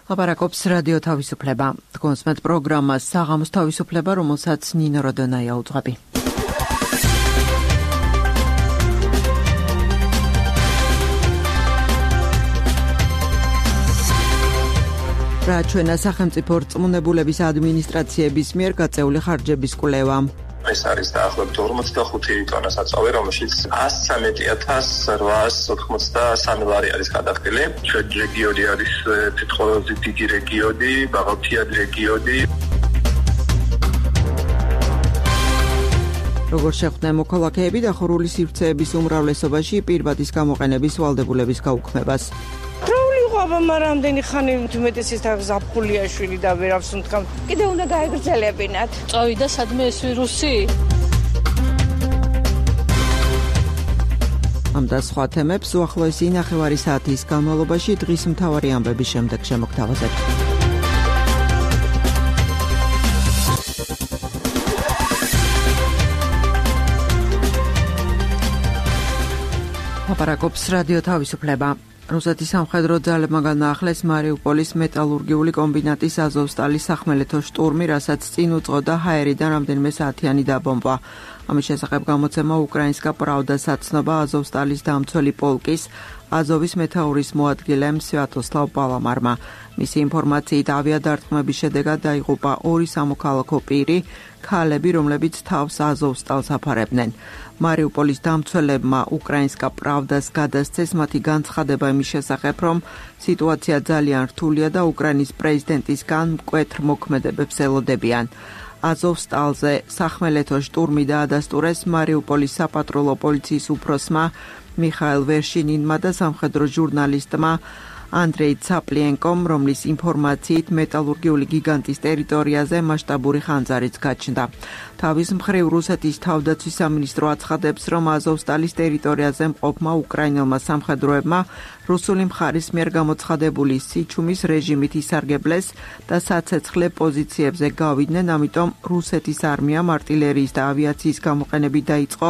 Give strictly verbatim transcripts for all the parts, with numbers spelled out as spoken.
ლაპარაკობს რადიო თავისუფლება. Თქვენს პროგრამას საღამოს თავისუფლება, რომელსაც ნინო როდონაია უძღვები. რა ჩვენა სახელმწიფო რწმუნებულების ადმინისტრაციების მიერ გაწეული ხარჯების კვლევა. ეს არის დაახლოებით ორმოცდახუთი ტონა საწვავი, რომელშიც ასზე მეტი ათას რვაას ოთხმოცდასამი ლარი არის გადახდილი. ჩვენი რეგიონი არის თითქმის დიდი რეგიონი, ბაღალთიანი რეგიონი. როგორ შეხვდნენ მოქალაქეები დახურული სივრცეების უმრავლესობაში პირვადის გამოყენების ვალდებულების გაუქმებას. აბა რამდენი ხანი უმეტესის ზაფხულიაშვილი და ვერავს უთქავ. კიდე უნდა გაეგრძელებინათ. წავიდა სადმე ეს ვირუსი? ამ და სხვა თემებს უახლოესი ნახევარი საათის განმავლობაში დღის მთავარი ამბების შემდეგ შემოგთავაზებთ. ლაპარაკობს რადიო თავისუფლება. რუსეთის სამხედრო ძალებმა განაახლეს მარიუპოლის მეტალურგიული კომბინატის აზოვსტალის სახმელეთო შტურმი, რასაც წინ უძღოდა ჰაერიდან რამდენიმე საათიანი დაბომბვა. ამის შესახებ გამოცემა უკრაინსკა პრავდას აცნობა აზოვსტალის დამცველი პოლკის აზოვის მეთაურის მოადგილემ სვიატოსლავ პალამარმა. მისი ინფორმაციით ავიადარტყმების შედეგად დაიღუპა ორი სამოქალაქო პირი, ქალები, რომლებიც თავს აზოვსტალს აფარებდნენ. მარიუპოლის დამცველებმა უკრაინსკა პრავდას გადასცეს მათი განცხადება იმის შესახებ, რომ სიტუაცია ძალიან რთულია და უკრაინის პრეზიდენტისგან მკვეთრ მოქმედებებს ელოდებიან. აზოვსტალზე სახმელეთო შტურმი დაადასტურეს მარიუპოლის საპატრულო პოლიციის უფროსმა მიხაილ ვერშინინმა და სამხედრო ჟურნალისტმა ანდრეი ცაპლიენკომ, რომლის ინფორმაციით მეტალურგიული გიგანტის ტერიტორიაზე მასშტაბური ხანძარიც გაჩნდა. თავის მხრივ რუსეთის თავდაცვის სამინისტრო აცხადებს, რომ აზოვსტალის ტერიტორიაზე მყოფმა უკრაინელმა სამხედროებმა რუსული მხარის მიერ გამოცხადებული სიჩუმის რეჟიმით ისარგებლეს და საცეცხლე პოზიციებზე გავიდნენ, ამიტომ რუსეთის არმიამ არტილერიის და ავიაციის გამოყენებით დაიწყო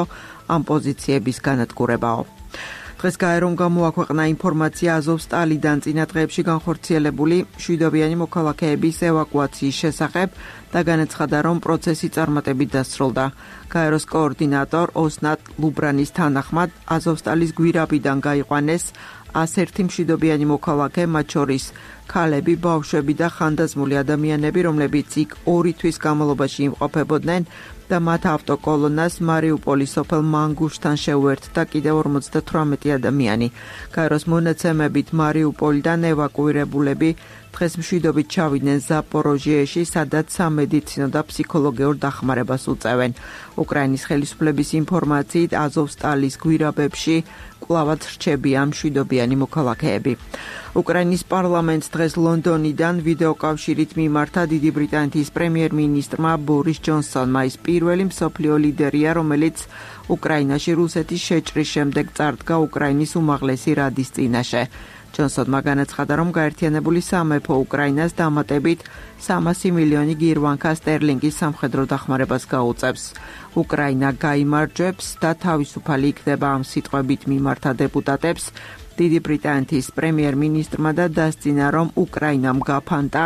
ამ პოზიციების განადგურებაო. დღეს გაერომ გამოაქვეყნა ინფორმაცია აზოვსტალიდან წინა დღეებში განხორციელებული მშვიდობიანი მოქალაქეების ევაკუაციის შესახებ და განაცხადა, რომ პროცესი წარმატებით დასრულდა. გაეროს კოორდინატორ ოსნატ ლუბრანის თანახმად აზოვსტალის გვირაბიდან გაიყვანეს ასი მშვიდობიანი მოქალაქე, მათ შორის ქალები, ბავშვები და ხანდაზმული ადამიანები, რომლებიც იქ ორი თვის განმავლობაში იმყოფებოდნენ და მათ ავტოკოლონას მარიუპოლის სოფელ მანგუშთან შეუერთდა კიდევ ორმოცდათვრამეტი ადამიანი. გაეროს მონაცემებით მარიუპოლიდან ევაკუირებულები დღეს მშვიდობით ჩავიდნენ ზაპოროჟიეში, სადაც სამედიცინო და ფსიქოლოგიურ დახმარებას უწევენ. უკრაინის ხელისუფლების ინფორმაციით აზოვსტალის გვირაბებში კვლავაც რჩებიან მშვიდობიანი მოქალაქეები. უკრაინის პარლამენტს დღეს ლონდონიდან ვიდეოკავშირით მიმართა დიდი ბრიტანეთის პრემიერ-მინისტრმა ბორის ჯონსონმა. ის პირველი მსოფლიო ლიდერია, რომელიც უკრაინაში რუსეთის შეჭრის შემდეგ წარდგა უკრაინის უმაღლესი რადის წინაშე. ჯონსონმა განაცხადა, რომ გაერთიანებული სამეფო უკრაინას დამატებით სამასი მილიონი გირვანკა სტერლინგის სამხედრო დახმარებას გაუწევს. უკრაინა გაიმარჯვებს და თავისუფალი იქნება, ამ სიტყვებით მიმართა დეპუტატებს დიდი ბრიტანეთის პრემიერ-მინისტრმა და დასძინა, რომ უკრაინამ გაფანტა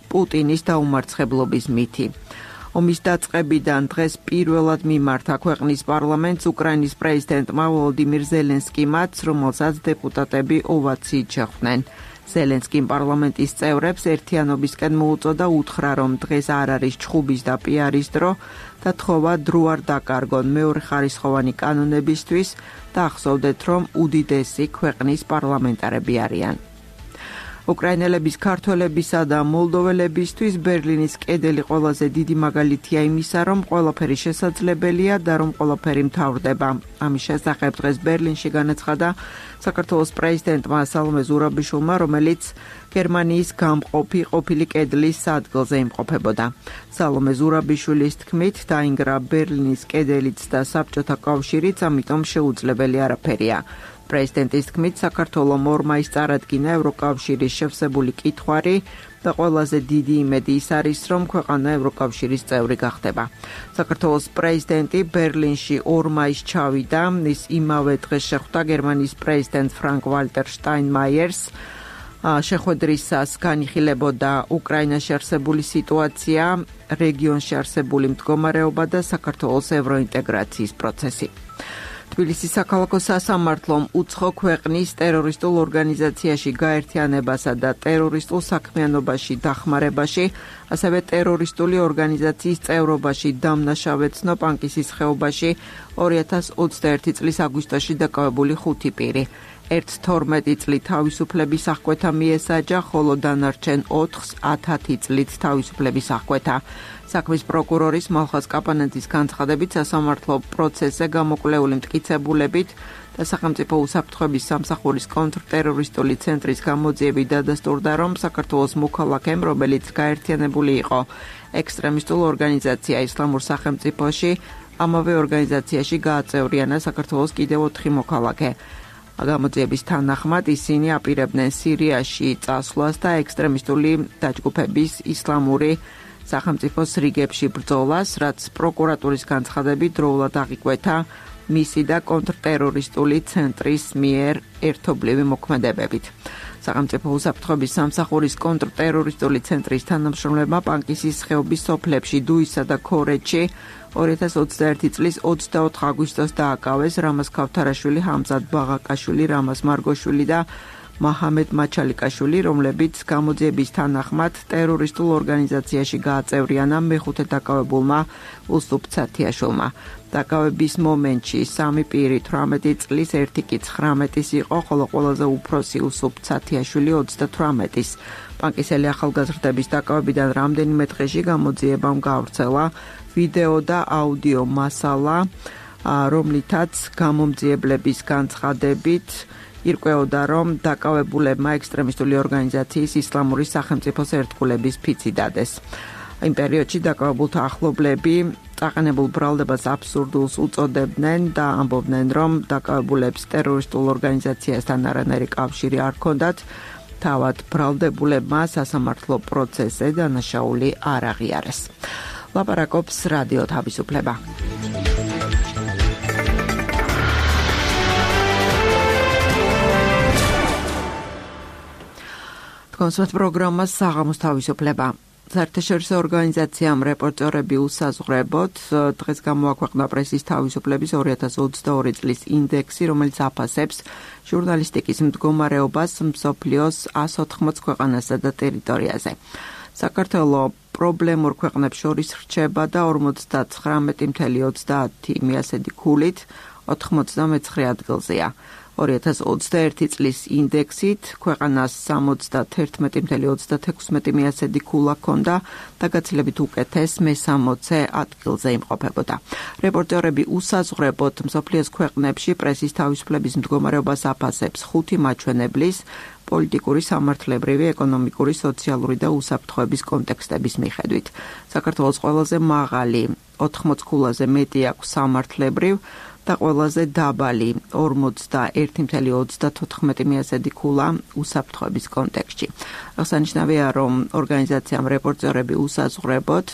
პუტინის დაუმარცხებლობის მითი. ომის დაწყებიდან დღეს პირველად მიმართა ქვეყნის პარლამენტს უკრაინის პრეზიდენტმა ვოლოდიმირ ზელენსკიმაც, რომელსაც დეპუტატები ოვაციით შეხვდნენ. ზელენსკიმ პარლამენტის წევრებს ერთიანობისკენ მოუწოდა, უთხრა, რომ დღეს არ არის ჩხუბის და პიარის დრო და თხოვა დრო არ დაკარგონ მეორეხარისხოვანი კანონებისთვის და ახსოვდეთ, რომ უდიდესი ქვეყნის პარლამენტარები არიან. უკრაინელების, ქართველებისა და მოლდოველებისთვის ბერლინის კედელი ყველაზე დიდი მაგალითია იმისა, რომ ყველაფერი შესაძლებელია და რომ ყველაფერი მთავრდება. ამის შესახებ დღეს ბერლინში განაცხადა საქართველოს პრეზიდენტმა სალომე ზურაბიშვილმა, რომელიც გერმანიის გამყოფი ყოფილი კედლის სადგელზე იმყოფებოდა. სალომე ზურაბიშვილის თქმით, დაინგრა ბერლინის კედელიც და საბჭოთა კავშირიც, ამიტომ შეუძლებელი არაფერია. პრეზიდენტის თქმით, საქართველომ ორ მაისს წარადგინა ევროკავშირის შევსებული კითხვარი და ყველაზე დიდი იმედი ის არის, რომ ქვეყანა ევროკავშირის წევრი გახდება. საქართველოს პრეზიდენტი ბერლინში ორ მაისს ჩავიდა, ის იმავე დღეს შეხვდა გერმანიის პრეზიდენტ ფრანკ ვალტერ შტაინმაიერს. შეხვედრისას განიხილებოდა უკრაინაში არსებული სიტუაცია, რეგიონში არსებული მდგომარეობა და საქართველოს ევროინტეგრაციის პროცესი. თბილისის საქალაქო სასამართლომ უცხო ქვეყნის ტერორისტულ ორგანიზაციაში გაერთიანებასა და ტერორისტულ საქმიანობაში დახმარებაში, ასევე ტერორისტული ორგანიზაციის წევრობაში დამნაშავეცნო პანკისის ხეობაში ორი ათას ოცდაერთი წლის აგვისტოში დაკავებული ხუთი პირი. ერთ თორმეტი წლით თავისუფლების აღკვეთა მიესაჯა, ხოლო დანარჩენ ოთხს ათი წლით თავისუფლების აღკვეთა. საქმის პროკურორის მალხაზ კაპანაძის განცხადებით, სასამართლო პროცესზე გამოკვლეული მტკიცებულებით და სახელმწიფო უსაფრთხოების სამსახურის კონტრტერორისტული ცენტრის გამოძიებით დადასტურდა, რომ საქართველოს მოქალაქემ, რომელიც გაერთიანებული იყო ექსტრემისტულ ორგანიზაცია ისლამურ სახელმწიფოში, ამავე ორგანიზაციაში გააწევრიანა საქართველოს კიდევ ოთხი მოქალაქე. გამოძიების თანახმად ისინი აპირებდნენ სირიაში წასვლას და ექსტრემისტული დაჯგუფების ისლამური სახელმწიფოს რიგებში ბრძოლას, რაც პროკურატურის განცხადებით დროულად აღიკვეთა მისი და კონტრტერორისტული ცენტრის მიერ ერთობლივი მოქმედებებით. სახელმწიფო უსაფრთხოების სამსახურის კონტრტერორისტული ცენტრის თანამშრომლებმა პანკისის ხეობის სოფლებში დუისა და ქორეთში ორი ათას ოცდაერთი წლის ოცდაოთხ აგვისტოს დააკავეს რამაზ ქავთარაშვილი, ჰამზად ბაღაკაშვილი, რამაზ მარგოშვილი და მაჰამედ მაჩალიკაშვილი, რომლებიც გამოძიების თანახმად ტერორისტულ ორგანიზაციაში გააწევრიანა მეხუთე დაკავებულმა უსუპ ცათიაშვილმა. დაკავების მომენტში სამი პირი თვრამეტი წლის, ერთი კი ცხრამეტის იყო, ხოლო ყველაზე უფროსი უსუპ ცათიაშვილი ოცდათვრამეტის. პანკისელი ახალგაზრდების დაკავებიდან რამდენიმე დღეში გამოძიებამ გავრცელა ვიდეო და აუდიო მასალა, რომლითაც გამომძიებლების განცხადებით ირკვეოდა, რომ დაკავებულებმა ექსტრემისტული ორგანიზაციის ისლამური სახელმწიფოს ერთგულების ფიცი დადეს. იმ პერიოდში დაკავებულთა ახლობლები წაყენებულ ბრალდებას აბსურდულს უწოდებდნენ და ამბობდნენ, რომ დაკავებულებს ტერორისტულ ორგანიზაციასთან არანაირი კავშირი არ ჰქონდათ. თავად ბრალდებულებმა სასამართლო პროცესზე დანაშაული არ აღიარეს. ლაპარაკობს რადიო თავისუფლება. კონსერტ პროგრამა საღამოს თავისუფლება. საერთაშორისო ორგანიზაციამ რეპორტერები უსაზღვრებოდ დღეს გამოაქვეყნა პრესის თავისუფლების ორი ათას ოცდაორი წლის ინდექსი, რომელიც აფასებს ჟურნალისტიკის მდგომარეობას მსოფლიოს ას ოთხმოც ქვეყანასა და ტერიტორიაზე. საქართველოს პრობლემურ ქვეყნებს შორის რჩება და ორმოცდათხრამეტი წელი ოცდაათი მიასედი ქულით ოთხმოცდამეცხრე ადგილზეა. ორი ათას ოცდაერთი წლის ინდექსით ქვეყანას სამოცდათერთმეტი წელი ოცდათექვსმეტი მიასედი ქულა ჰქონდა და გაცილებით უკეთეს მესამოცე ადგილზე იმყოფებოდა. რეპორტერები უსაზღვრებოდ მსოფლიოს ქვეყნებში პრესის თავისუფლების მდგომარეობას აფასებს ხუთი მაჩვენებლის, პოლიტიკური, სამართლებრივი, ეკონომიკური, სოციალური და უსაფრთხოების კონტექსტების მიხედვით. საქართველოს ყველაზე მაღალი ოთხმოც ქულაზე მეტი აქვს სამართლებრივ და ყველაზე დაბალი ორმოცდაერთი წელი ოცდათოთხმეტი მიასედი ქულა უსაფრთხოების კონტექსტში. აღსანიშნავია, რომ ორგანიზაციამ რეპორტერები უსაზღვრებოდ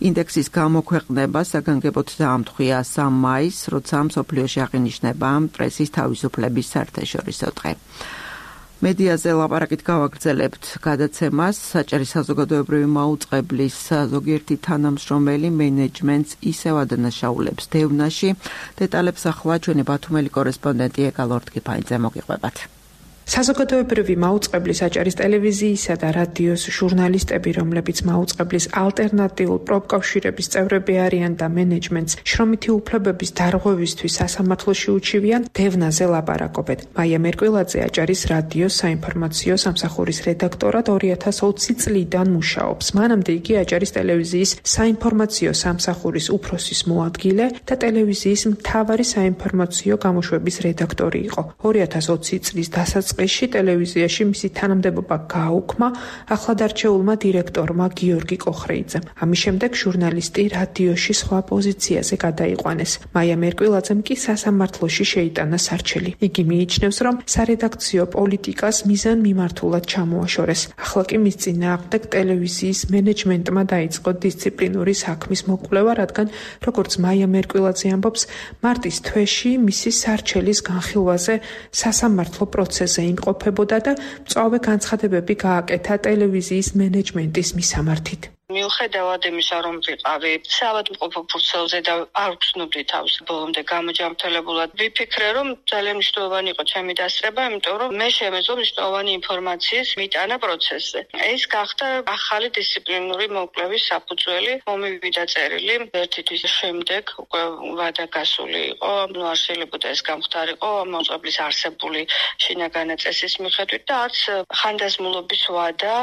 ინდექსის გამოქვეყნება საგანგებოდ დაამტყვია სამ მაისს, როცა მსოფლიოში აღინიშნება პრესის თავისუფლების საერთაშორისო დღე. მედიაზე ლაპარაკით გავაგრძელებთ გადაცემას. საჭირო საზოგადოებრივი მაუწყებლის ზოგიერთი თანამშრომელი მენეჯმენტს ისევ ადანაშაულებს დევნაში. დეტალებს ახლა ჩვენი ბათუმელი კორესპონდენტი ეკა ლორდკიფაიძე მოგიყვებათ. საზოგადოებრივი მაუწყებლის აჭარის ტელევიზიისა და რადიოს ჟურნალისტები, რომლებიც მაუწყებლის ალტერნატიულ პროფკავშირების წევრები არიან და მენეჯმენტს შრომითი უფლებების დარღვევისთვის სასამართლოში უჩივიან, დევნაზე ლაპარაკობენ. მაია მერკვილაძე აჭარის რადიოს საინფორმაციო სამსახურის რედაქტორად ორი ათას ოცი წლიდან მუშაობს. მანამდე იგი აჭარის ტელევიზიის საინფორმაციო სამსახურის უფროსის მოადგილე და ტელევიზიის მთავარი საინფორმაციო გამოშვების რედაქტორი იყო. ორი ათას ოცი წლის დასაწყისში ტელევიზიაში მისი თანამდებობა გააუქმა ახლადარჩეულმა დირექტორმა გიორგი კოხრეიძემ. ამის შემდეგ ჟურნალისტი რადიოში სხვა პოზიციაზე გადაიყვანეს. მაია მერკვილაძემ კი სასამართლოში შეიტანა სარჩელი. იგი მიიჩნევს, რომ სარედაქციო პოლიტიკას მიზანმიმართულად ჩამოაშორეს. ახლა კი მის წინააღმდეგ ტელევიზიის მენეჯმენტმა დაიწყო დისციპლინური საქმის მოკვლევა, რადგან როგორც მაია მერკვილაძე ამბობს, მარტის თვეში მისი სარჩელის განხილვაზე სასამართლო პროცესზე იმყოფებოდა და მწვავე განცხადებები გააკეთა ტელევიზიის მენეჯმენტის მისამართით. მიუხედავად იმისა, რომ ვიყავი საავადმყოფო ფურცელზე და არ ვცნობდი თავს ბოლომდე გამოჯამრთელებულად, ვიფიქრე, რომ ძალიან მნიშვნელოვანი იყო ჩემი დასწრება, იმიტომ რომ მე შემეძლო მნიშვნელოვანი ინფორმაციის მიტანა პროცესზე. ეს გახდა ახალი დისციპლინური მოკვლევის საფუძველი, მომივიდა წერილი ერთი თვის შემდეგ უკვე ვადა გასული იყო, ნუ არ შეიძლებოდა ეს გამختارიყო მოწყობლის არსებული შინაგანი წესის მიხედვით და არც ხანდაზმულობის ვადა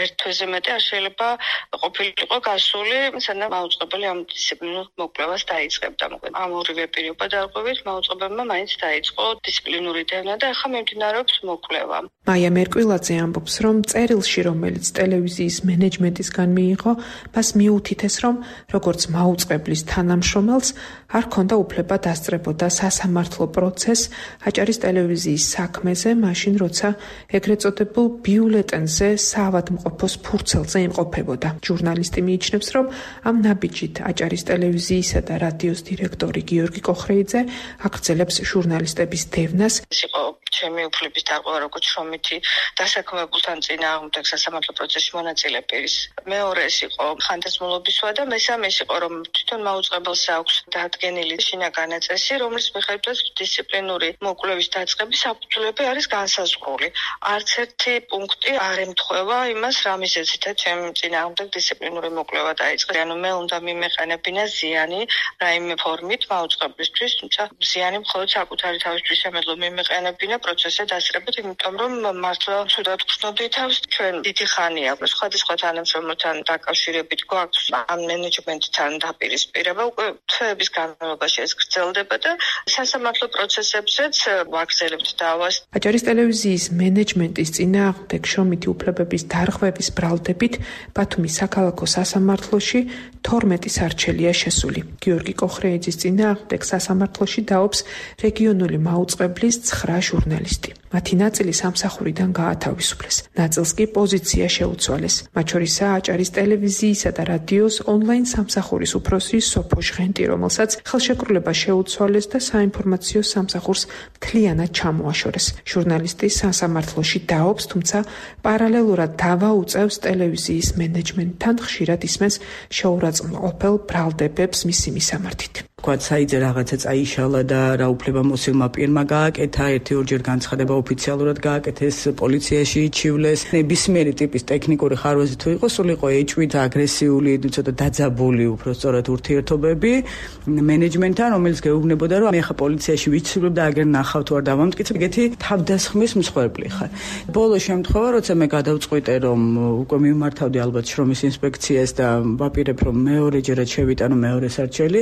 ერთ თვეზე მეტი არ შეიძლება ყოფილიყო გასული, სანამ მაუწყებელი ამ დისციპლინურ მოკვლევას დაიწყებდა. მოკლედ ამ ორივე პირობა დარღვევით მაუწყებელმა მაინც დაიწყო დისციპლინური დევნა და ახლა მიმდინარეობს მოკვლევა. მაია მერკვილაძე ამბობს, რომ წერილში, რომელიც ტელევიზიის მენეჯმენტისგან მიიღო, მას მიუთითეს, რომ როგორც მაუწყებლის თანამშრომელს არ ჰქონდა უფლება დასწრებოდა სასამართლო პროცესს აჭარის ტელევიზიის საქმეზე, მაშინ როცა ეგრეთ წოდებულ ბიულეტენზე საავადმყოფოს ფურცელზე იმყოფებოდა. ჟურნალისტი მიიჩნევს, რომ ამ ნაბიჯით აჭარის ტელევიზიისა და რადიოს დირექტორი გიორგი კოხრეიძე აგრძელებს ჟურნალისტების დევნას. ეს იყო ჩემი უფლების დარღვევა, როგორც შრომითი დასაქმებულთან წინააღმდეგ სასამართლო პროცესში მონაწილე პირის. მეორე ეს იყო ხანდაზმულობის ვადა, მესამე ეს იყო, რომ თვითონ მაუწყებელს აქვს დადგენილი შინაგანი წესი, რომლის მიხედვითაც დისციპლინური მოკვლევის დაწყების საფუძვლები არის განსაზღვრული. არც ერთი პუნქტი არ ემთხვევა იმას, რა მიზეზითაც ჩემი წინააღმდეგ დისციპლინური მოკვლევა დაიწყეს. ანუ მე უნდა მიმეყენებინა ზიანი რაიმე ფორმით მაუწყებლისთვის, თუმცა ზიანი მხოლოდ საკუთარი თავისთვის შემეძლო მიმეყენებინა პროცესზე დასწრებით, იმიტომ რომ მართლა ცუდად ვგრძნობდი თავს. ჩვენ დიდი ხანია სხვადასხვა თანამშრომელთან დაკავშირებით გვაქვს ამ მენეჯმენტთან დაპირისპირება, უკვე თვეების განმავლობაში ეს გრძელდება და სასამართლო პროცესებზეც ვაგრძელებთ დავას. აჭარის ტელევიზიის მენეჯმენტის წინააღმდეგ შრომითი უფლებების დარღვევის ბრალდებით ბათუმის საქალაქო სასამართლოში თორმეტი სარჩელია შესული. გიორგი კოხრეიძის წინააღმდეგ სასამართლოში დაობს რეგიონული მაუწყებლის ცხრა ჟურნალისტი. მათი ნაწილი სამსახურიდან გაათავისუფლეს. ნაწილს კი პოზიცია შეუცვალეს. მათ შორისაა აჭარის ტელევიზიისა და რადიოს ონლაინ სამსახურის უფროსი სოფო ჟღენტი, რომელსაც ხელშეკრულება შეუცვალეს და საინფორმაციო სამსახურს მთლიანად ჩამოაშორეს. ჟურნალისტი სასამართლოში დაობს, თუმცა პარალელურად დავა უწევს ტელევიზიის მენეჯმენტთან, ხშირად ისმენს შეურაცხმყოფელ ბრალდებებს მისი მისამართით. თქვა საიძე რაღაცა წაიშალა და რა უფლება მოსილმა პირმა გააკეთა, ერთი ორჯერ განცხადება ოფიციალურად გააკეთეს, პოლიციაში იჩივლეს. ნებისმიერი ტიპის ტექნიკური ხარვეზი თუ იყო, სულ იყო ეჭვით, აგრესიული, ცოტა დაძაბული უფრო სწორად ურთიერთობები მენეჯმენტთან, რომელიც გეუბნებოდა, რომ მე ხა პოლიციაში ვიცვლებ და აგერ ნახავ თუ არ დავამტკიცებ, ეგეთი თავდასხმის მსხვერპლი ხარ. ბოლო შემთხვევა, როცა მე გადავწყვიტე, რომ უკვე მიმართავდი ალბათ შრომის ინსპექციას და ვაპირებ, რომ მეორეჯერაც შევიტანო მეორე სარჩელი,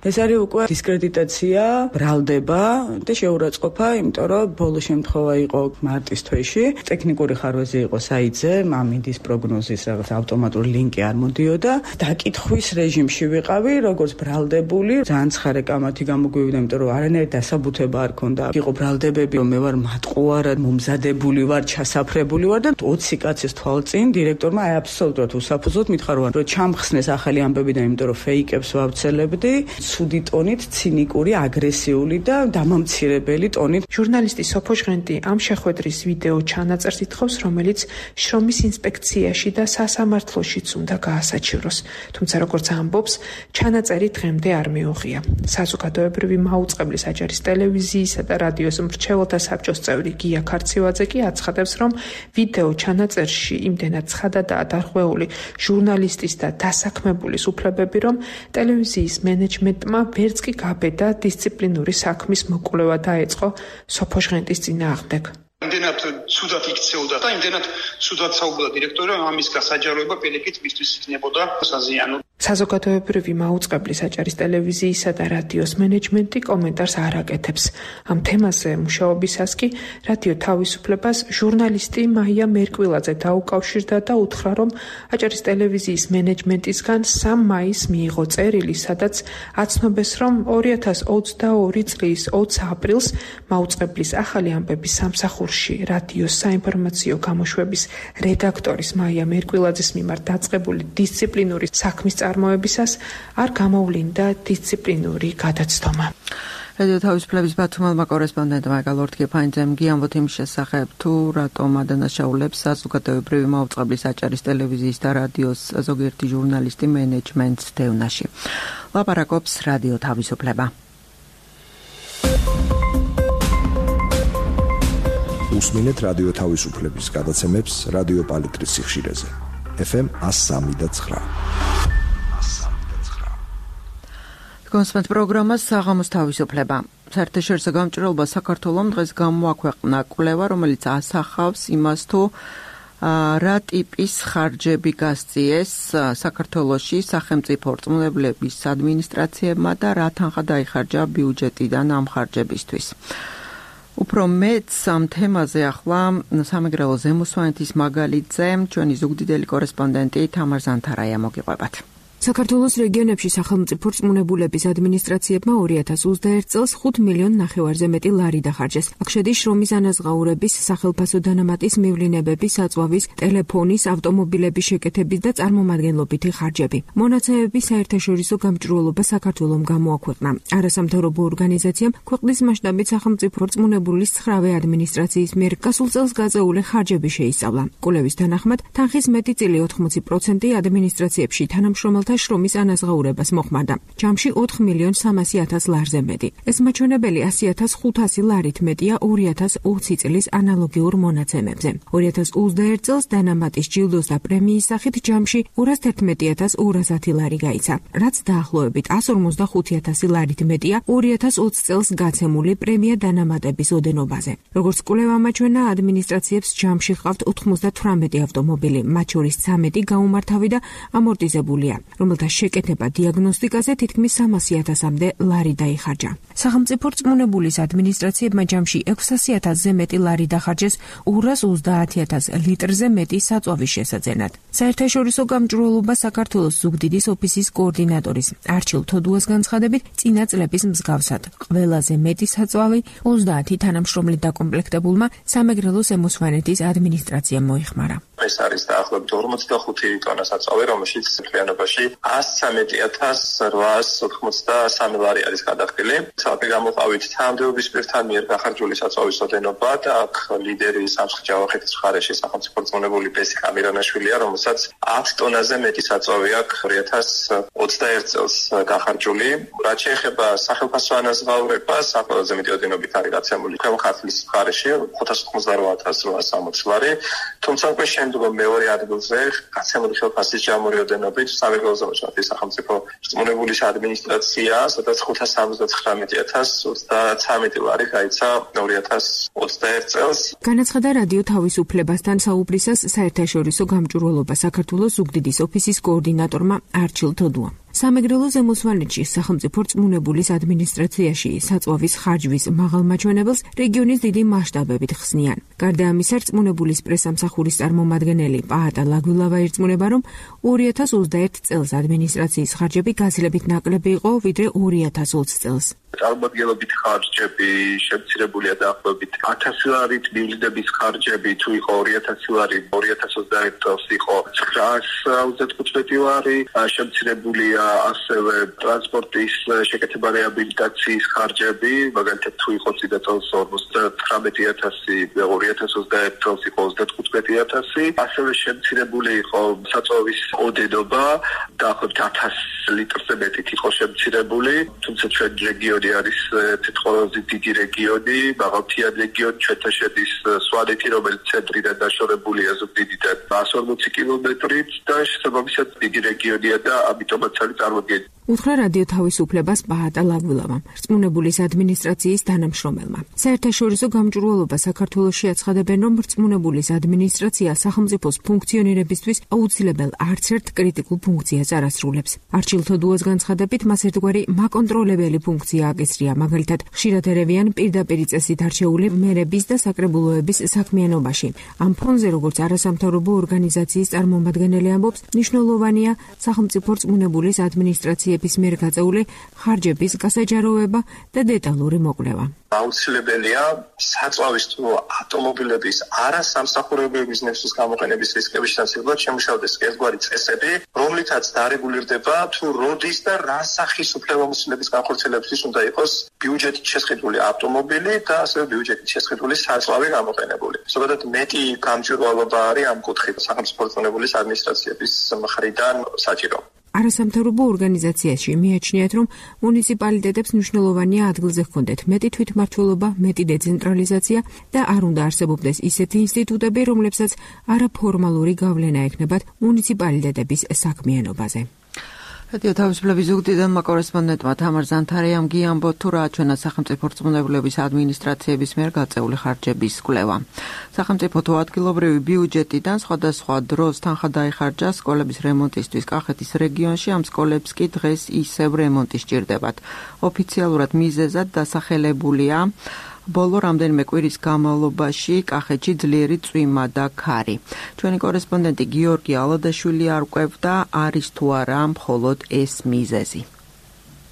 ეს არის უკვე დისკრედიტაცია, ბრალდება და შეურაცხყოფა, იმიტომ რომ ბოლო შემთხვევა იყო მარტის თვეში. ტექნიკური ხარვეზი იყო საიძე, ამინდის პროგნოზის რაღაც ავტომატური ლინკი არ მოდიოდა. დაკითხვის რეჟიმში ვიყავი, როგორც ბრალდებული, ძალიან ცხარე კამათი გამოგვივიდა, იმიტომ რომ არანაირი დასაბუთება არ ქონდა. იყო ბრალდებები, რომ მე ვარ მატყუარად მომზადებული ვარ, ჩასაფრებული ვარ და ოცი კაცის თვალწინ დირექტორმა აი აბსოლუტურად უსაფუძოდ მითხრა, რომ ჩამხსნეს ახალი ამბები და იმიტომ რომ ფეიკებს ვავრცელებდი, ცუდი ტონით, ცინიკური, აგრესიული და დამამცირებელი ტონით. ჟურნალისტი სოფო ჟღენტი ამ შეხვედრის ვიდეო ჩანაწერს ითხოვს, რომელიც შრომის ინსპექციაში და სასამართლოშიც უნდა გაასაჩივროს. თუმცა როგორც ამბობს, ჩანაწერი დღემდე არ მიუღია. საზოგადოებრივი მაუწყებლის აჭარის ტელევიზიისა და რადიოს მრჩეველთა საბჭოს წევრი გია ქარცივაძე კი აცხადებს, რომ ვიდეო ჩანაწერში იმდენად ცხადადაა დარღვეული ჟურნალისტის და დასაქმებულის უფლებები, რომ ტელევიზიის მენეჯმენტმა ვერც კი გაბედა დისციპლინური საქმის მოკვლევა დაეწყო სოფო ჟღენტის წინააღმდეგ. იმდენად ცუდად იქცეოდა და იმდენად ცუდად საუბრა დირექტორი, რომ ამის გასაჯაროება პირიქით მისთვის იქნებოდა საზიანო. საზოგადოებრივი მაუწყებლის აჭარის ტელევიზიისა და რადიოს მენეჯმენტი კომენტარს არ აკეთებს. ამ თემაზე მუშაობისას კი რადიო თავისუფლებას ჟურნალისტი მაია მერკვილაძე დაუკავშირდა და უთხრა, რომ აჭარის ტელევიზიის მენეჯმენტისგან სამი მაისს მიიღო წერილი, სადაც აცნობეს, რომ ორი ათას ოცდაორი წლის ოცი აპრილს მაუწყებლის ახალი ამბების სამსახურში რადიოს საინფორმაციო გამოშვების რედაქტორის მაია მერკვილაძის მიმართ დაწყებული დისციპლინური საქმის წარმოებისას არ გამოვლინდა დისციპლინური გადაცდომა. რადიო თავისუფლების ბათუმელმა კორესპონდენტმა გალორთ გეფაინძემ გიამბოთ იმის შესახებ, თუ რატომ ადანაშაულებს საზოგადოებრივი მაუწყებლის აჭარის ტელევიზიის და რადიოს ზოგიერთი ჟურნალისტი მენეჯმენტს დევნაში. ლაპარაკობს რადიო თავისუფლება. უსმინეთ რადიო თავისუფლების გადაცემებს რადიო პალიტრის სიხშირეზე. ეფ ემ one oh three point nine. კონსპენთ პროგრამას საღამოს თავისუფლება. საერთაშორისო გამჭირვალობა საქართველოს დღეს გამოაქვეყნა კვლევა, რომელიც ასახავს იმას, თუ რა ტიპის ხარჯები გასწიეს საქართველოში სახელმწიფო რწმუნებლების ადმინისტრაციებმა და რა თანხა დაიხარჯა ბიუჯეტიდან ამ ხარჯებისთვის. უფრო მეც ამ თემაზე ახლა სამეგრელო ზემოსვანეთის მაგალითზე ჩვენი ზუგდიდელი კორესპონდენტი თამარ ზანთარაია მოგიყვებათ. საქართველოს რეგიონებში სახელმწიფო რწმუნებულების ადმინისტრაციებმა ორი ათას ოცდაერთ წელს ხუთ მილიონ ნახევარზე მეტი ლარი დახარჯეს. აქ შედის შრომის ანაზღაურების, სახელმწიფო დანამატის მივლინებების, საწვავის, ტელეფონის, ავტომობილების შეკეთების და წარმომადგენლობითი ხარჯები. მონაცემები საერთაშორისო გამჭირვალობა საქართველომ გამოაქვეყნა. არასამთავრობო ორგანიზაციამ ქვეყნის მასშტაბით სახელმწიფო რწმუნებულის ცხრავე ადმინისტრაციის მიერ გასულ წელს გაწეული ხარჯები შეისწავლა. კვლევის თანახმად, თანხის მეტი წილი ოცდაოთხ პროცენტი ადმინისტრაციებში თანამშრომელთა შრომის ანაზღაურებას მოხმარდა. ჯამში ოთხ მილიონ სამასი ათას ლარზე მეტი. ეს მაჩვენებელი ასი ათას ხუთასი ლარით მეტია ორი ათას ოცი წლის ანალოგიურ მონაცემებზე. ორი ათას ოცდაერთ წელს დანამატის ჯილდოს და პრემიის სახით ჯამში ორას თერთმეტი ათას ორას ათი ლარი გაიცა, რაც დაახლოებით εκατს ორმოცდახუთი ათასი ლარით მეტია ორი ათას ოცი წელს გაცემული პრემია დანამატების ოდენობაზე. როგორც კვლევა მაჩვენა, ადმინისტრაციებს ჯამში ჰყავთ ოთხმოცდათვრამეტი ავტომობილი, მათ შორის ცამეტი გაუმართავი და ამორტიზებულია, რომელთა შეკეთება დიაგნოსტიკაზე თითქმის სამასი ათასამდე ლარი დაიხარჯა. სახელმწიფო რწმუნებულის ადმინისტრაციებმა ჯამში ექვსასი ათასზე მეტი ლარი დახარჯეს ორას ოცდაათი ათას ლიტრზე მეტი საწვავის შესაძენად. საერთაშორისო გამჭირვალობა საქართველოს ზუგდიდის ოფისის კოორდინატორის არჩილ თოდუას განცხადებით, წინა წლების მსგავსად ყველაზე მეტი საწვავი ოცდაათი თანამშრომლით დაკომპლექტებულმა სამეგრელო ზემოსვანეთის ადმინისტრაციამ მოიხმარა. ეს არის დაახლოებით ორმოცდახუთი ტონა საწვავი, რომელშიც მთლიანობაში εκατს ოცდაათი ათას რვაას ოცდამოცდასამი ლარი არის გადახდილი. ცალკე გამოყავით თანამდებობის პირთან მიერ გახარჯული საწვავის ოდენობა და აქ ლიდერი სამცხე-ჯავახეთის მხარეში სახელმწიფო რწმუნებული ბესიკ ამირანაშვილია, რომელსაც ათ ტონაზე მეტი საწვავი აქვს ორი ათას ოცდაერთ წელს გახარჯული. რაც შეეხება სახელმწიფო ანაზღაურებას, ყველაზე მეტი ოდენობით არის გაცემული ქვემო ქართლის მხარეში ხუთას ოცდაოთხ ათას რვაას სამოცი ლარი, თუმცა უკვე შემდგომ მეორე ადგილზე გაცემული ხელფასის ჯამური ოდენობით სამეგრელო ზემოსვანეთის სახელმწიფო რწმუნებულის ადმინისტრაცია, სადაც ხუთას ორმოცდათხრამეტი ათას ოცდაცამეტი ლარი გაიცა ორი ათას ოცდაერთ წელს. განაცხადა რადიო თავისუფლებასთან საუბრისას საერთაშორისო გამჭირვალობა საქართველოს ზუგდიდის ოფისის კოორდინატორმა არჩილ თოდუამ. სამეგრელო ზემოსვანეთში სახელმწიფო რწმუნებულის ადმინისტრაციაში საწვავის ხარჯვის მაღალ მაჩვენებელს რეგიონის დიდი მასშტაბებით ხსნიან. გარდა ამისა, რწმუნებულის პრესამსახურის წარმომადგენელი პაატა ლაგვილავა ირწმუნება, რომ ორი ათას ოცდაერთ წელს ადმინისტრაციის ხარჯები გაცილებით ნაკლები იყო, ვიდრე ორი ათას ოცი წელს. წარმომადგენლობითი ხარჯები შემცირებულია დაახლოებით ათასი ლარით, მივლინების ხარჯები თუ იყო ორი ათასი ლარი, ორი ათას ოცდაერთ წელს იყო ცხრაას ოცდათხუთმეტი ლარი, შემცირებულია ასევე ტრანსპორტის შეკეთება რეაბილიტაციის ხარჯები, მაგალითად თუ იყო წინა წელს ორმოცდათხრამეტი ათასი, ორი ათას ოცდაერთ წელს იყო ოცდათხუთმეტი ათასი, ასევე შემცირებული იყო საწვავის ოდენობა, დაახლოებით ათას litrზე მეტით იყო შემცირებული, თუმცა ჩვენ რეგიონი არის თითქმის დიდი რეგიონი, მაღალმთიანი რეგიონი, ჩვენთან შედის სვანეთი, რომელიც ცენტრიდან დაშორებულია ზუგდიდიდან εκατს ორმოცი კილომეტრით და შესაბამისად დიდი რეგიონია და ამიტომაც არის წარმოდგენილი. უთხრა რადიო თავისუფლებას პაატა ლაგვილავამ, რწმუნებულის ადმინისტრაციის თანამშრომელმა. საერთაშორისო გამჭირვალობა საქართველოში აცხადებენ, რომ რწმუნებულის ადმინისტრაცია სახელმწიფოს ფუნქციონირებისთვის აუცილებელ არც ერთ კრიტიკულ ფუნქციას არ ასრულებს. არჩილ თოდუას განცხადებით, მას ერთგვარი მაკონტროლებელი ფუნქცია აკისრია, მაგალითად, ხშირად ერევიან პირდაპირ წესით არჩეული მერების და საკრებულოების საქმიანობაში. ამ ფონზე, როგორც არასამთავრობო ორგანიზაციის წარმომადგენელი ამბობს, მნიშვნელოვანია სახელმწიფო რწმუნებულის ადმინისტრაციების პალიდების მიერ გაწეული ხარჯების გასაჯაროვება და დეტალური მოკვლევა. აუცილებელია საწვავის თუ ავტომობილების არასამსახურებო ბიზნესის გამოყენების რისკების შესაძლებლად შემუშავდეს ერთგვარი წესები, რომლითაც დარეგულირდება თუ როდის და რა სახის უფლებამოსილების განხორციელებისთვის უნდა იყოს ბიუჯეტით შესყიდული ავტომობილი და ასევე ბიუჯეტით შესყიდული საწვავი გამოყენებული. ზოგადად მეტი გამჭვირვალობა არის ამ კუთხით სახელმწიფო რწმუნებულის ადმინისტრაციების მხრიდან საჭირო. არასამთავრობო ორგანიზაციაში მიაჩნიათ, რომ მუნიციპალიტეტებს მნიშვნელოვანია ადგილზე ჰქონდეთ მეტი თვითმმართველობა, მეტი დეცენტრალიზაცია და არ უნდა არსებობდეს ისეთი ინსტიტუტები, რომლებსაც არაფორმალური გავლენა ექნებათ მუნიციპალიტეტების საქმიანობაზე. რადიო თავისუფლების ზუგდიდან კორესპონდენტმა თამარ ზანთარიამ გიამბო თუ რა აჩვენა სახელმწიფო რწმუნებულების ადმინისტრაციების მიერ გაწეული ხარჯების კვლევა. სახელმწიფო თუ ადგილობრივი ბიუჯეტიდან სხვადასხვა დროს თანხა დაიხარჯა სკოლების რემონტისთვის კახეთის რეგიონში, ამ სკოლებს კი დღეს ისევ რემონტი სჭირდებათ. ოფიციალურად მიზეზად დასახელებულია ბოლო რამდენიმე კვირის განმავლობაში კახეთში ძლიერი წვიმა და ქარი. ჩვენი კორესპონდენტი გიორგი ალადაშვილი არ ყვევდა, არის თუ არა მხოლოდ ეს მიზეზი.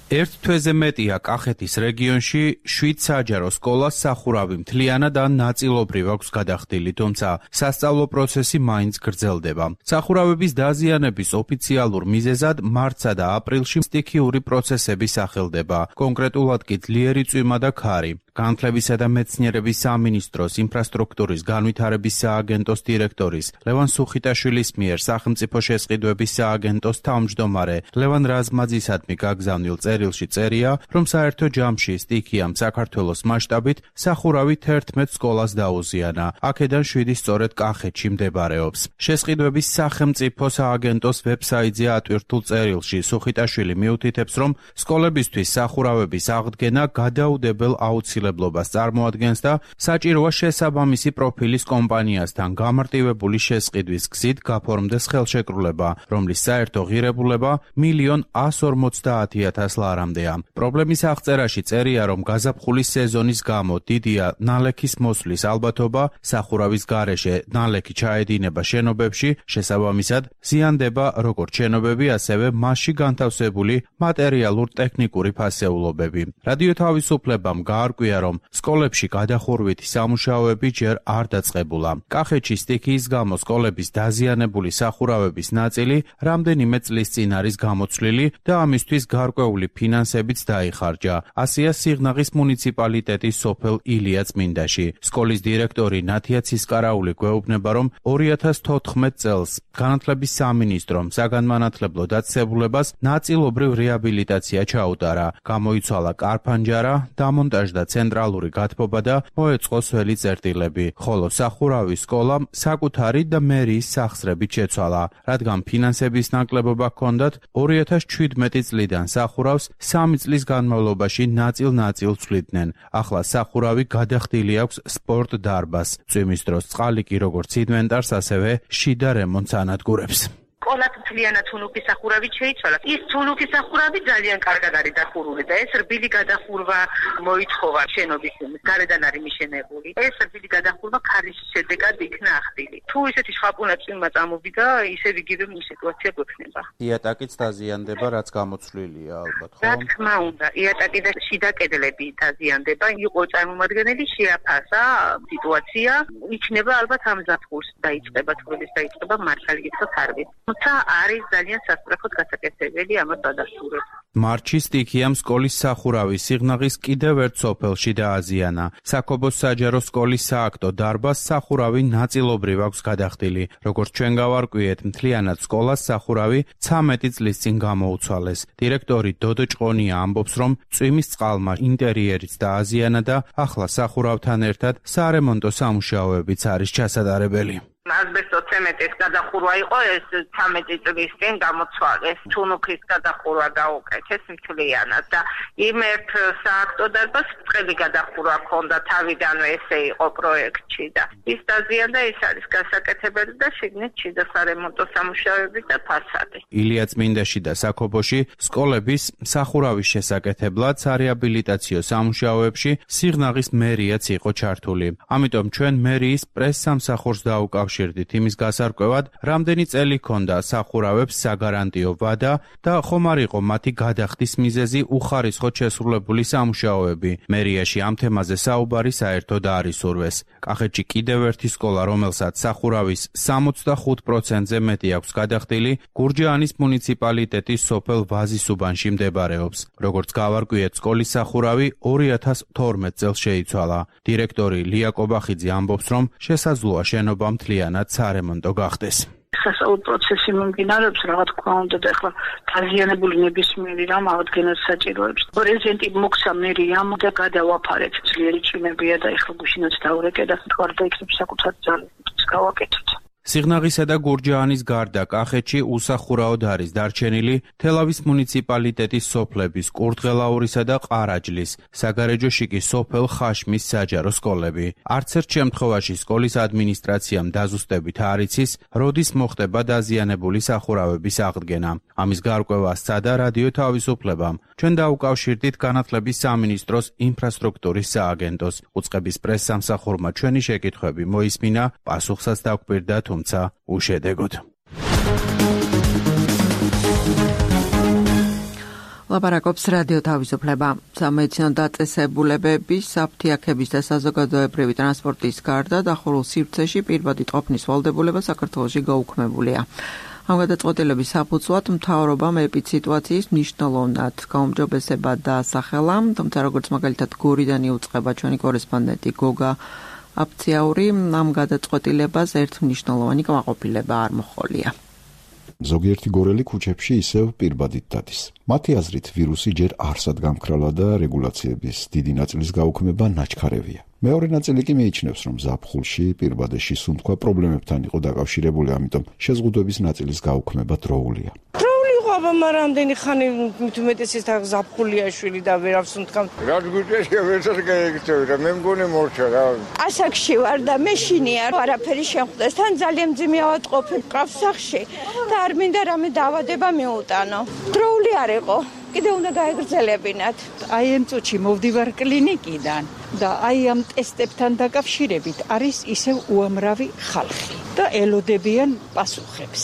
ერთ თვეზე მეტია კახეთის რეგიონში შვიდ საჯარო სკოლას სახურავი მთლიანად ან ნაწილობრივ აქვს გადახდილი, თუმცა სასწავლო პროცესი მაინც გრძელდება. სახურავების დაზიანების ოფიციალურ მიზეზად მარტსა და აპრილში სტიქიური პროცესები სახელდება, კონკრეტულად კი ძლიერი წვიმა და ქარი. განათლებისა და მეცნიერების სამინისტროს ინფრასტრუქტურის განვითარების სააგენტოს დირექტორის ლევან სუხიტაშვილის მიერ სახელმწიფო შესყიდვების სააგენტოს თავმჯდომარე ლევან რაზმაძისადმი გაგზავნილ წერილში წერია, რომ საერთო ჯამში სტიქიამ საქართველოს მასშტაბით სახურავით თერთმეტ სკოლას დაუზიანა. აქედან შვიდი სწორედ კახეთში მდებარეობს. შესყიდვების სახელმწიფო სააგენტოს ვებსაიტზე ატვირთულ წერილში სუხიტაშვილი მიუთითებს, რომ სკოლებისთვის სახურავების აღდგენა გადაუდებელ აუცილებლობას წარმოადგენს და საჭიროა შესაბამისი პროფილის კომპანიასთან გამარტივებული შესყიდვის გზით გაფორმდეს ხელშეკრულება, რომლის საერთო ღირებულება მილიონ ას ორმოცდაათი ათას ლარამდეა. პრობლემის აღწერაში წერია, რომ გაზაფხულის სეზონის გამო დიდია ნალექის მოსვლის ალბათობა, სახურავის გარეშე ნალექი ჩაედინება შენობებში, შესაბამისად ზიანდება როგორც შენობები, ასევე მასში განთავსებული მატერიალურ-ტექნიკური ფასეულობები. რადიო თავისუფლებამ გაარკვია, რომ სკოლებში გადახურვითი სამუშაოები ჯერ არ დაწყებულა. კახეთში სტიქიის გამო სკოლების დაზიანებული სახურავების ნაწილი რამდენიმე წლის წინ არის გამოცვლილი და ამისთვის გარკვეული ფინანსებიც დაიხარჯა. ასია სიღნაღის მუნიციპალიტეტის სოფელ ილია წმინდაში. სკოლის დირექტორი ნათია ცისკარაული გვეუბნება, რომ ორი ათას თოთხმეტ წელს განათლების სამინისტრომ საგანმანათლებლო დაწესებულებას ნაწილობრივ რეაბილიტაცია ჩაუტარა. გამოიცვალა კარფანჯარა, დამონტაჟდა ცენტრალური გათბობა და მოეწყო სველი წერტილები, ხოლო სახურავის სკოლამ საკუთარი და მერიის სახსრებით შეცვალა, რადგან ფინანსების ნაკლებობა ჰქონდათ ორი ათას ჩვიდმეტი წლიდან სახურავს სამი წლის განმავლობაში ნაწილ-ნაწილ ცვლიდნენ. ახლა სახურავი გადახდილი აქვს სპორტ დარბაზს. წვიმის დროს წყალი კი როგორც ინვენტარს, ასევე შიდა რემონტს ანადგურებს. სკოლას მთლიანად თუნუქის სახურავით შეიცვალა. ის თუნუქის სახურავი ძალიან კარგად არის დახურული და ეს რბილი გადახურვა მოითხოვა შენობის გარედან არის მიშენებული. ეს რბილი გადახურვა ქარის შედეგად იქნა ახდილი. თუ ისეთი შხაპუნა წვიმა წამოვიდა, ისევ იგივე სიტუაცია გვექნება. იატაკიც დაზიანდება, რაც გამოცვლილია ალბათ, ხო? რა თქმა უნდა, იატაკი და შიდა კედლები დაზიანდება. იყო წარმომადგენელი შეაფასა სიტუაცია, იქნება ალბათ ამ ზაფხულს დაიწყება თბილისის დაიწყება მართალი გითხრათ არვით. თუმცა არის ძალიან სასწრაფოდ გასაკეთებელი ამას დადასტურება. მარტში სტიქიამ სკოლის სახურავი სიღნაღის კიდევ ერთ სოფელში დააზიანა. საქობოს საჯარო სკოლის სააქტო დარბაზს სახურავი ნაწილობრივ აქვს გადახდილი. როგორც ჩვენ გავარკვიეთ, მთლიანად სკოლას სახურავი ცამეტი წლის წინ გამოუცვალეს. დირექტორი დოდო ჭყონია ამბობს, რომ წვიმის წყალმა ინტერიერიც დააზიანა და ახლა სახურავთან ერთად სარემონტო სამუშაოებიც არის ჩასატარებელი. ასბესტოცემენტის გადახურვა იყო, ეს ცამეტი წლის წინ გამოცვალეს. თუნუქის გადახურვა გაუკეთეს მთლიანად და იმ ერთ სააქტო დარბაზს ბრტყელი გადახურვა ჰქონდა თავიდანვე, ესე იყო პროექტში და ის დაზიანდა, ის არის გასაკეთებელი და შიგნით შიდა სარემონტო სამუშაოები და ფასადი. ილია წმინდაში და საქობოში სკოლების სახურავის შესაკეთებლად სარეაბილიტაციო სამუშაოებში სიღნაღის მერიაც იყო ჩართული. ამიტომ ჩვენ მერიის პრეს-სამსახურს დაუკავშირეთ დაკავშირდით იმის გასარკვევად, რამდენი წელი ჰქონდა სახურავებს საგარანტიო ვადა და ხომ არ იყო მათი გადახდის მიზეზი უხარისხოდ შესრულებული სამუშაოები. მერიაში ამ თემაზე საუბარი საერთოდ არ ისურვეს. კახეთში კიდევ ერთი სკოლა, რომელსაც სახურავის სამოცდახუთ პროცენტზე მეტი აქვს გადახდილი, გურჯაანის მუნიციპალიტეტის სოფელ ვაზისუბანში მდებარეობს. როგორც გავარკვიეთ, სკოლის სახურავი ორი ათას თორმეტ წელს შეიცვალა. დირექტორი ლია კობახიძე ამბობს, რომ შესაძლოა შენობა მთლიანად სარემონტო გახდეს. სასწავლო პროცესი მომდინარეობს, რა თქმა უნდა, და ახლა დაზიანებული ნებისმიერი რამ აღდგენას საჭიროებს. პრეზიდენტი მოგცა მერიამ და გადავაფარეთ ძლიერი ჭიმებია და ახლა გუშინაც დაურეკე და თქვა და იქნებ საკუთარ ძალებს გავაკეთოთ. სიღნაღისა და გურჯაანის გარდა კახეთში უსახურავად არის დარჩენილი თელავის მუნიციპალიტეტის სოფლების კურდღელაურისა და ყარაჯლის, საგარეჯოში კი სოფელ ხაშმის საჯარო სკოლები. არც ერთ შემთხვევაში სკოლის ადმინისტრაციამ დაზუსტებით არ იცის, როდის მოხდება დაზიანებული სახურავების აღდგენა. ამის გარკვევა სცადა რადიო თავისუფლებამ. ჩვენ დაუკავშირდით განათლების სამინისტროს ინფრასტრუქტურის სააგენტოს. უწყების პრესსამსახურმა ჩვენი შეკითხვები მოისმინა, პასუხსაც დაგვირდა, თუმცა უშედეგოდ. ლაპარაკობს რადიო თავისუფლება. სამედიცინო დაწესებულებების, საფთიაქების და საზოგადოებრივი ტრანსპორტის გარდა დახურულ სივრცეში პირბადი ტყოფნის ვალდებულება საქართველოში გაუქმებულია. ამ გადაწყვეტილების საფუძვლად მთავრობამ ეპიდსიტუაციის მნიშვნელოვნად გაუმჯობესება დაასახელა, თუმცა როგორც მაგალითად გორიდან იუწყება ჩვენი კორესპონდენტი გოგა აფციაური, ამ გადაწყვეტილებას ერთ მნიშვნელოვანი კმაყოფილება არ მოჰყოლია. ზოგიერთი გორელი ქუჩებში ისევ პირბადით დადის. მათი აზრით ვირუსი ჯერ არსად გამქრალა და რეგულაციების დიდი ნაწილის გაუქმება ნაჩქარევია. მეორე ნაწილი კი მიიჩნევს, რომ ზაფხულში პირბადეში სუნთქვა პრობლემებთან იყო დაკავშირებული, ამიტომ შეზღუდვების ნაწილის გაუქმება დროულია. აბა მარამდენი ხანი მithumetes-ის თან ზაფხულია შვილი და ვერავს უნთქამ. რა გუჭეშია ვერცად გაიგწევი რა მე მგონი მორჩა რა. ასაკში ვარ და მე შინია არაფერი შემხვდეს. თან ძალიან მძიმე ავატყოფი ყავს სახში და არ მინდა რამე დაავადება მიუტანო. დროული არ იყო. კიდე უნდა გაეგრძელებინათ. აი ამ წუთში მოვდივარ კლინიკიდან და აი ამ ტესტებთან დაკავშირებით არის ისევ უამრავი ხალხი და ელოდებიან პასუხებს.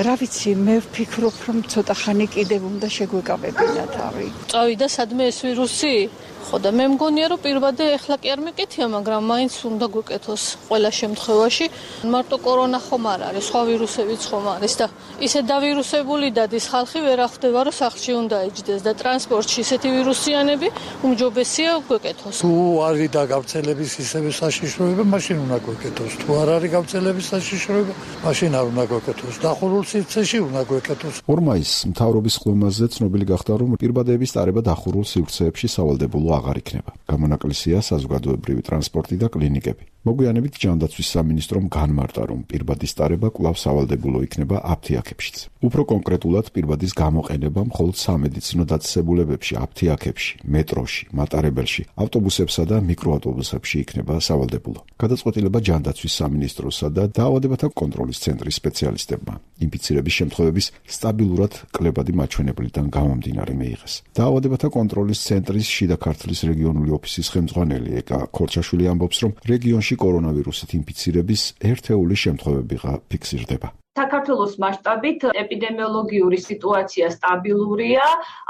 რა ვიცი, მე ვფიქრობ, რომ ცოტა ხანი კიდევ უნდა შეგვეკავებინა თავი. წავიდა სადმე ეს ვირუსი? ხო და მე მგონია, რომ პირბადე ეხლა კი არ მეკეთია, მაგრამ მაინც უნდა გვეკეთოს ყველა შემთხვევაში. მარტო კორონა ხომ არ არის, სხვა ვირუსებიც ხომ არის და ისე დავირუსებული დადის ხალხი ვერ ახდება, რომ სახლში უნდა ეჯდეს და ტრანსპორტში ისეთი ვირუსიანები უმჯობესია გვეკეთოს. თუ არის და გავრცელების ისევე საშიშროება, მაშინ უნდა გვეკეთოს. თუ არ არის გავრცელების საშიშროება, მაშინ არ უნდა გვეკეთოს. დახურულ სივრცეში უნდა გვეკეთოს. ორ მაისს მთავრობის ხმაზე ცნობილი გახდა, რომ პირბადეების ტარება დახურულ სივრცეებში სავალდებულო აღარ იქნება. გამონაკლისია საზოგადოებრივი ტრანსპორტი და კლინიკები. მოგვიანებით ჯანდაცვის სამინისტრომ განმარტა, რომ პირბადის ტარება კვლავ სავალდებულო იქნება აფთიაქებშიც. უფრო კონკრეტულად პირბადის გამოყენება მხოლოდ სამედიცინო დაწესებულებებში, აფთიაქებში, მეტროში, მატარებელში, ავტობუსებსა და მიკროავტობუსებში იქნება სავალდებულო. გადაწყვეტილება ჯანდაცვის სამინისტროსა და დაავადებათა კონტროლის ცენტრის სპეციალისტებმა ინფიცირების შემთხვევების სტაბილურად კლებადი მაჩვენებლიდან გამომდინარე მიიღეს. დაავადებათა კონტროლის ცენტრის შიდა ქართლის რეგიონული ოფისის ხელმძღვანელი ეკა ქორჩაშვილი ამბობს, რომ რეგიონში კორონავირუსით ინფიცირების ერთეული შემთხვევებიღა ფიქსირდება. საქართველოს მასშტაბით ეპიდემიოლოგიური სიტუაცია სტაბილურია,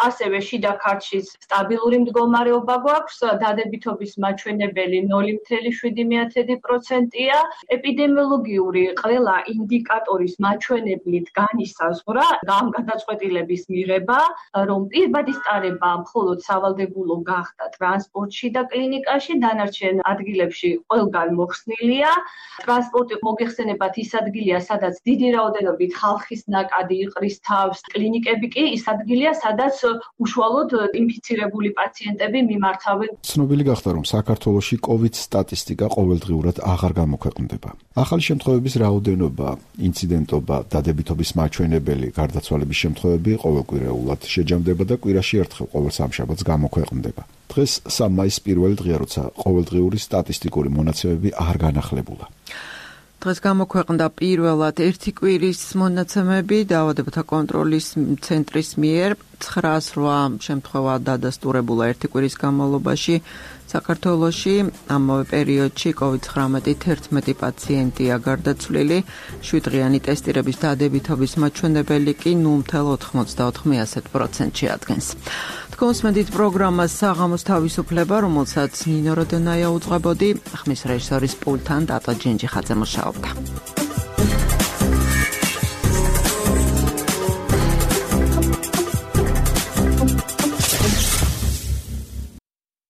ასევე შიდა ქართლში სტაბილური მდგომარეობა გვაქვს, დადებითობის მაჩვენებელი ნული ათეული შვიდი პროცენტია. ეპიდემიოლოგიური ყველა ინდიკატორის მაჩვენებლით განისაზღვრა ამ გადაწყვეტილების მიღება, რომ პირბადის ტარება მხოლოდ სავალდებულო გახდა ტრანსპორტში და კლინიკაში, დანარჩენ ადგილებში ყველგან მოხსნილია. ტრანსპორტი მოგეხსენებათ ის ადგილია, სადაც დიდი რაოდენობით ხალხის ნაკადი იყრის თავს. კლინიკები კი ის ადგილია, სადაც უშუალოდ ინფიცირებული პაციენტები მიმართავენ. ცნობილი გახდა, რომ საქართველოში COVID სტატისტიკა ყოველდღიურად აღარ გამოქვეყნდება. ახალი შემთხვევების რაოდენობა, ინციდენტობა, დადებითობის მაჩვენებელი, გარდაცვალების შემთხვევები ყოველკვირეულად შეჯამდება და კვირაში ერთხელ ყოველ სამშაბათს გამოქვეყნდება. დღეს სამ მაისს პირველი დღეა, როცა ყოველდღიური სტატისტიკური მონაცემები არ განახლებულა. დღეს გამოქვეყნდა პირველად ერთი კვირის მონაცემები დაავადებათა კონტროლის ცენტრის მიერ ცხრაას რვა შემთხვევა დადასტურებულა ერთი კვირის განმავლობაში საქართველოში. ამავე პერიოდში კოვიდ ცხრამეტით ერთმეტი პაციენტია გარდაცვლილი, შვიდდღიანი ტესტირების დადებითობის მაჩვენებელი კი ნულ ათეულ ოცდაოთხ პროცენტში ადგენს. თქოს მედით პროგრამას საღამოს თავისუფლება, რომელსაც ნინო როდონაია უძღვებოდი, ხმის რეჟისორის პულტთან დატა ჯინჯიხაძე მუშაობდა.